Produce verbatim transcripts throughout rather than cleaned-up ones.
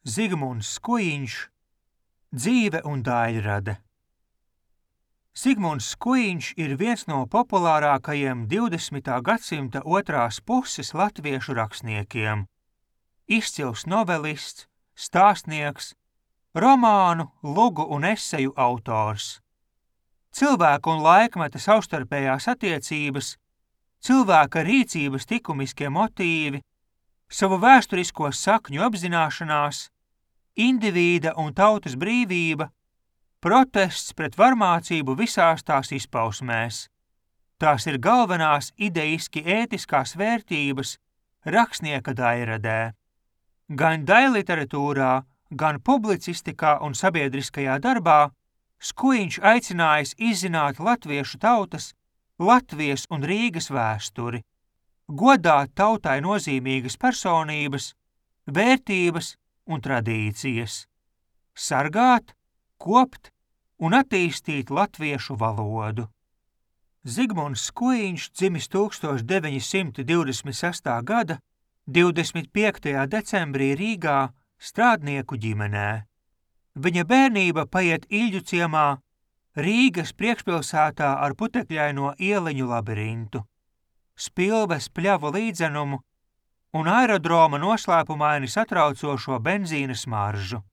Zigmunds Skujiņš, dzīve un daļrade. Zigmunds Skujiņš ir viens no populārākajiem divdesmitā gadsimta otrās puses latviešu rakstniekiem. Izcils novelists, stāstnieks, romānu, lugu un eseju autors. Cilvēku un laikmeta savstarpējās attiecības, cilvēka rīcības likumiskie motīvi, savu vēsturisko sakņu apzināšanās, indivīda un tautas brīvība, protests pret varmācību visās tās izpausmēs. Tās ir galvenās ideiski ētiskās vērtības rakstnieka daļradē. Gan daļliteratūrā, gan publicistikā un sabiedriskajā darbā Skujiņš aicinājis izzināt latviešu tautas, Latvijas un Rīgas vēsturi, godāt tautai nozīmīgas personības, vērtības un tradīcijas, sargāt, kopt un attīstīt latviešu valodu. Zigmunds Skujiņš dzimis tūkstoš deviņi simti divdesmit sestā gada divdesmit piektajā decembrī Rīgā strādnieku ģimenē. Viņa bērnība paiet Iļģu ciemā, Rīgas priekšpilsētā ar putekļaino ieleņu labirintu, Spilves pļavu līdzenumu un aerodroma noslēpumaini satraucošo benzīna smaržu.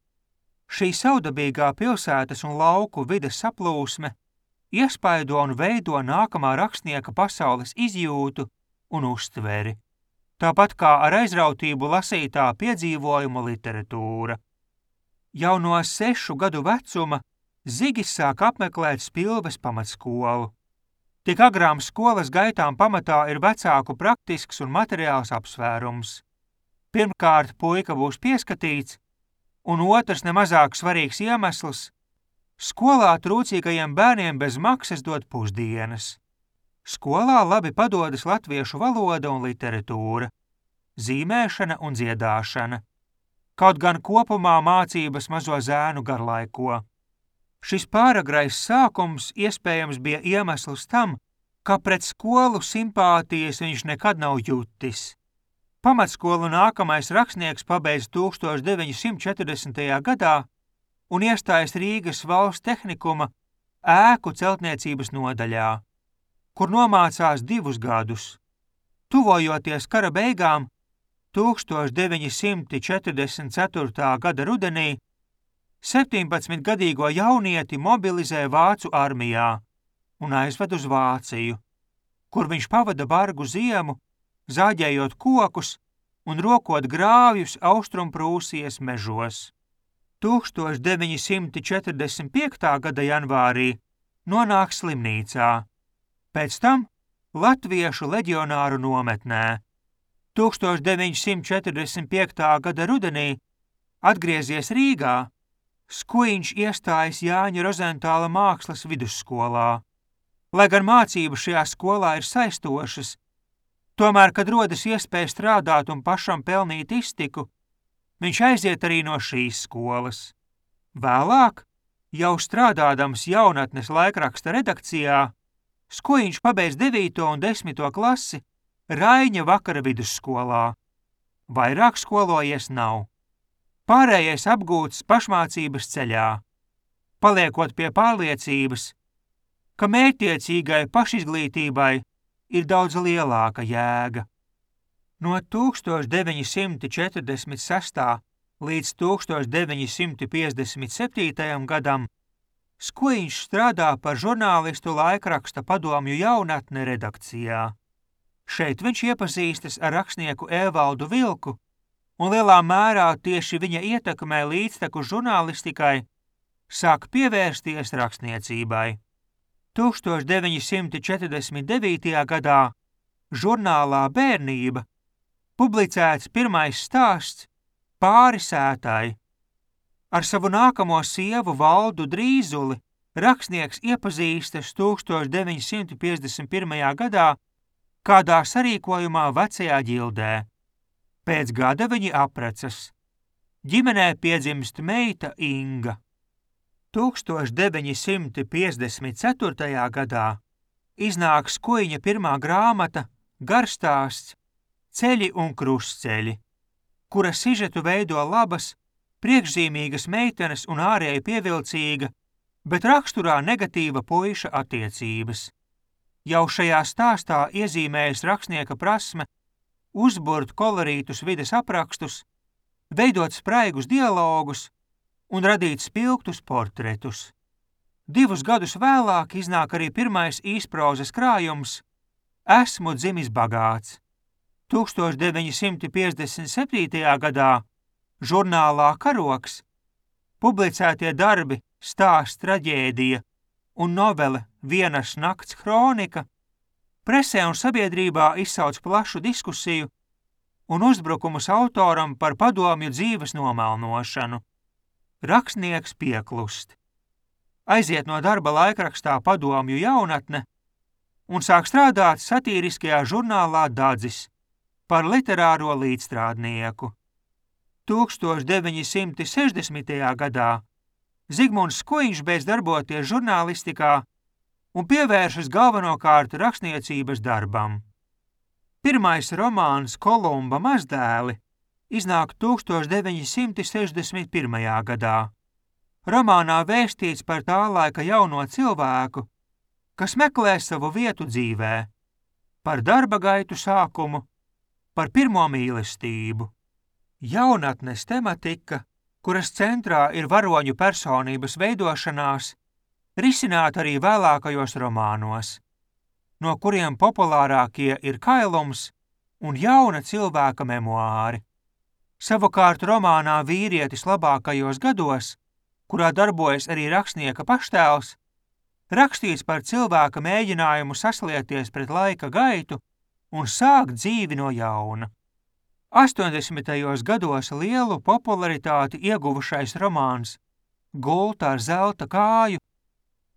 Šī saudabīgā pilsētas un lauku vides saplūsme iespaido un veido nākamā rakstnieka pasaules izjūtu un uztveri, tāpat kā ar aizrautību lasītā piedzīvojumu literatūra. Jau no sešu gadu vecuma Zigis sāk apmeklēt Spilves pamatskolu. Tik agrām skolas gaitām pamatā ir vecāku praktisks un materiāls apsvērums. Pirmkārt, puika būs pieskatīts, un otrs nemazāk svarīgs iemesls – skolā trūcīgajiem bērniem bez maksas dot pusdienas. Skolā labi padodas latviešu valoda un literatūra, zīmēšana un dziedāšana. Kaut gan kopumā mācības mazo zēnu garlaiko. Šis pāragrais sākums iespējams bija iemesls tam, ka pret skolu simpātijas viņš nekad nav jutis. Pamatskolu nākamais rakstnieks pabeidz tūkstoš deviņi simti četrdesmitajā gadā un iestājas Rīgas valsts tehnikuma ēku celtniecības nodaļā, kur nomācās divus gadus. Tuvojoties kara beigām, tūkstoš deviņi simti četrdesmit ceturtā gada rudenī septiņpadsmitgadīgo jaunieti mobilizē Vācu armijā un aizved uz Vāciju, kur viņš pavada bargu ziemu, zāģējot kokus un rokot grāvjus Austrumprūsijas mežos. tūkstoš deviņi simti četrdesmit piektā gada janvārī nonāk slimnīcā, pēc tam latviešu leģionāru nometnē. tūkstoš deviņi simti četrdesmit piektā gada rudenī atgriezies Rīgā, Skujiņš iestājas Jāņa Rozentāla mākslas vidusskolā. Lai gan mācības šajā skolā ir saistošas, tomēr, kad rodas iespēja strādāt un pašam pelnīt iztiku, viņš aiziet arī no šīs skolas. Vēlāk, jau strādādams jaunatnes laikraksta redakcijā, Skujiņš pabeidz devīto un desmito klasi Raiņa vakara vidusskolā. Vairāk skolojies nav. Pārējais apgūts pašmācības ceļā, paliekot pie pārliecības, ka mērķtiecīgai pašizglītībai ir daudz lielāka jēga. No tūkstoš deviņi simti četrdesmit sestā līdz tūkstoš deviņi simti piecdesmit septītajam gadam Skujiņš strādā par žurnālistu laikraksta Padomju jaunatne redakcijā. Šeit viņš iepazīstas ar rakstnieku Evaldu Vilku, un lielā mērā tieši viņa ietekmē līdzteku žurnālistikai sāk pievērsties rakstniecībai. tūkstoš deviņi simti četrdesmit devītajā gadā žurnālā Bērnība publicēts pirmais stāsts Pāri sētai. Ar savu nākamo sievu Valdu Drīzuli rakstnieks iepazīstas tūkstoš deviņi simti piecdesmit pirmajā gadā kādā sarīkojumā Vecajā ģildē. Pēc gada viņi apprecas. Ģimenē piedzimst meita Inga. tūkstoš deviņi simti piecdesmit ceturtajā gadā iznāk Skujiņa pirmā grāmata Garstāsts Ceļi un krustceļi, kura sižetu veido labas priekšzīmīgas meitenes un ārēji pievilcīga, bet raksturā negatīva puiša attiecības. Jau šajā stāstā iezīmējas rakstnieka prasme uzburt kolorītus vides aprakstus, veidot spraigus dialogus un radīt spilgtus portretus. Divus gadus vēlāk iznāk arī pirmais īsprozas krājums Esmu dzimis bagāts. tūkstoš deviņi simti piecdesmit septītajā gadā žurnālā Karoks publicētie darbi Stāsts traģēdija un novele Vienas nakts hronika presē un sabiedrībā izsauc plašu diskusiju un uzbrukumus autoram par padomju dzīves nomelnošanu. Rakstnieks pieklust. Aiziet no darba laikrakstā Padomju jaunatne un sāk strādāt satīriskajā žurnālā Dadzis par literāro līdzstrādnieku. tūkstoš deviņi simti sešdesmitajā gadā Zigmunds Skuiņš beidz darboties žurnālistikā un pievēršas galvenokārt rakstniecības darbam. Pirmais romāns Kolumba mazdēli iznāk tūkstoš deviņi simti sešdesmit pirmajā gadā. Romānā vēstīts par tā laika jauno cilvēku, kas meklē savu vietu dzīvē, par darba gaitu sākumu, par pirmo mīlestību. Jaunatnes tematika, kuras centrā ir varoņu personības veidošanās, risināt arī vēlākajos romānos, no kuriem populārākie ir Kailums un jauna cilvēka memoāri. Savukārt romānā Vīrietis labākajos gados, kurā darbojas arī rakstnieka paštēls, rakstīts par cilvēka mēģinājumu saslieties pret laika gaitu un sākt dzīvi no jauna. astoņdesmitajos gados lielu popularitāti ieguvušais romāns Gulta ar zelta kāju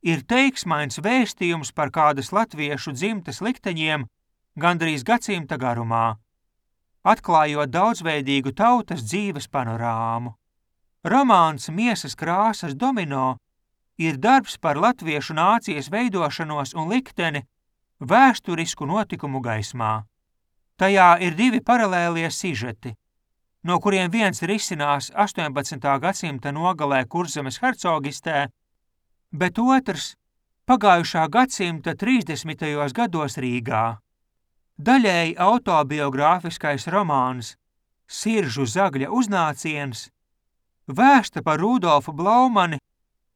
ir teiksmains vēstījums par kādas latviešu dzimtes likteņiem gandrīz gadsimta garumā, atklājot daudzveidīgu tautas dzīves panorāmu. Romāns Miesas krāsas domino ir darbs par latviešu nācijas veidošanos un likteni vēsturisku notikumu gaismā. Tajā ir divi paralēlie sižeti, no kuriem viens risinās astoņpadsmitā gadsimta nogalē Kurzemes hercogistē, bet otrs pagājušā gadsimta trīsdesmitajos gados Rīgā. Daļēji autobiogrāfiskais romāns Siržu zagļa uznāciens vēsta par Rudolfu Blaumani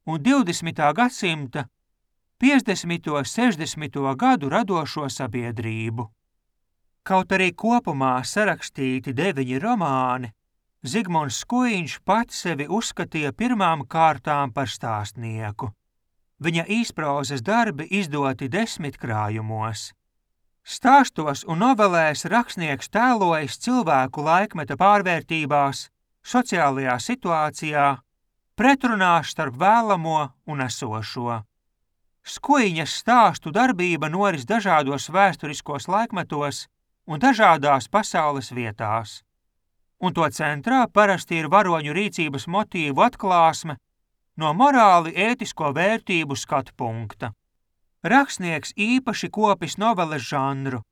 un divdesmitā gadsimta piecdesmito sešdesmito gadu radošo sabiedrību. Kaut arī kopumā sarakstīti deviņi romāni, Zigmunds Skuiņš pats sevi uzskatīja pirmām kārtām par stāstnieku. Viņa īsprozas darbi izdoti desmit krājumos. Stāstos un novelēs rakstnieks tēlojas cilvēku laikmeta pārvērtībās, sociālajā situācijā, pretrunās starp vēlamo un esošo. Skuiņas stāstu darbība noris dažādos vēsturiskos laikmetos un dažādās pasaules vietās, un to centrā parasti ir varoņu rīcības motīvu atklāsme no morāli ētisko vērtību skatu punkta. Rakstnieks īpaši kopis noveles žanru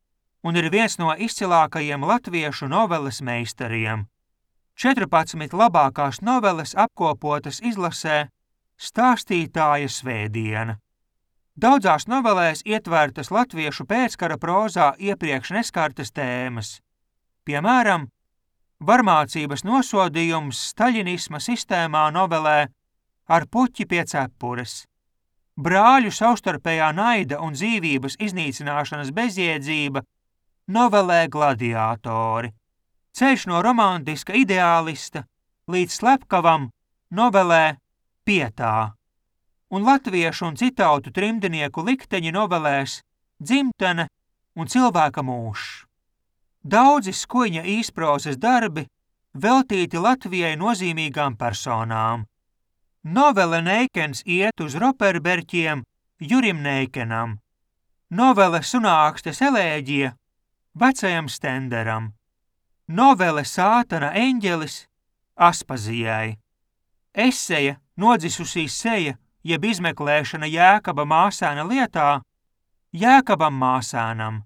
un ir viens no izcilākajiem latviešu noveles meistariem. četrpadsmit labākās noveles apkopotas izlasē Stāstītāja svētdiena. Daudzās novelēs ietvērtas latviešu pēckara prozā iepriekš neskartas tēmas. Piemēram, varmācības nosodījums staļinisma sistēmā novelē Ar puķi pie cepures, brāļu savstarpējā naida un dzīvības iznīcināšanas bezjēdzība novelē Gladiātori, ceļš no romantiska ideālista līdz slepkavam novelē Pietā, un latviešu un citautu trimdinieku likteņi novelēs Dzimtene un Cilvēka mūžs. Daudzi Skuiņa īsprozas darbi veltīti Latvijai nozīmīgām personām. Novele Neikens iet uz roperberķiem Jurim Neikenam, novele Sunākstes elēģija vecajam Stenderam, novele Sātana eņģelis Aspazijai, eseja Nodzisusī seja jeb izmeklēšana Jēkaba māsēna lietā Jēkabam māsēnam,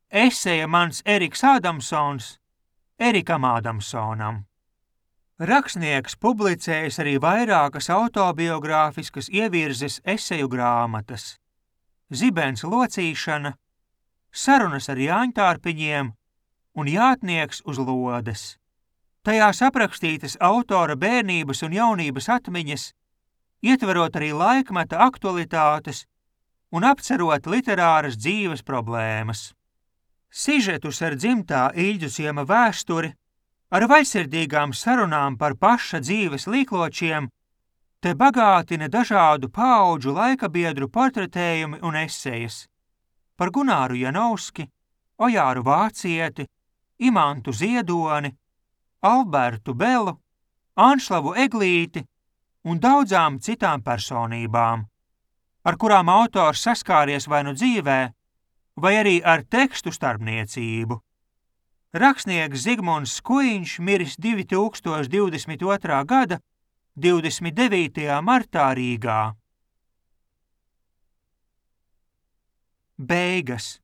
eseja Mans Eriks Ādamsons Erikam Ādamsonam. Rakstnieks publicējis arī vairākas autobiogrāfiskas ievirzes eseju grāmatas: Zibens locīšana, Sarunas ar Jāņtārpiņiem un Jātnieks uz lodes. Tajās aprakstītas autora bērnības un jaunības atmiņas, ietverot arī laikmeta aktualitātes un apcerot literāras dzīves problēmas. Sižetus ar dzimtā Iļģu ciema vēsturi, ar vaļsirdīgām sarunām par paša dzīves līkločiem, te bagātina dažādu paudžu laikabiedru portretējumi un esejas par Gunāru Janovski, Ojāru Vācieti, Imantu Ziedoni, Albertu Belu, Anšlavu Eglīti un daudzām citām personībām, ar kurām autors saskāries vai nu dzīvē, vai arī ar tekstu starpniecību. Rakstnieks Zigmunds Skujiņš miris divi tūkstoši divdesmit otrā gada divdesmit devītajā martā Rīgā. Beigas.